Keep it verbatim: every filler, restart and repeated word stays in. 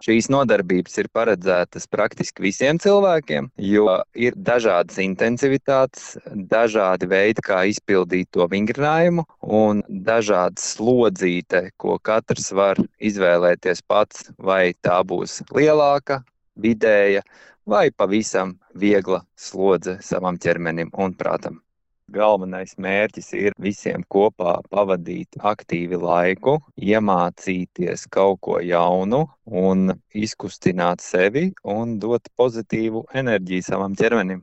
Šīs nodarbības ir paredzētas praktiski visiem cilvēkiem, jo ir dažādas intensivitātes, dažādi veidi, kā izpildīt to vingrinājumu, un dažādas slodzīte, ko katrs var izvēlēties pats, vai tā būs lielāka, vidēja vai pavisam viegla slodze savam ķermenim un prātam. Galvenais mērķis ir visiem kopā pavadīt aktīvi laiku, iemācīties kaut ko jaunu un izkustināt sevi un dot pozitīvu enerģiju savam ķermenim.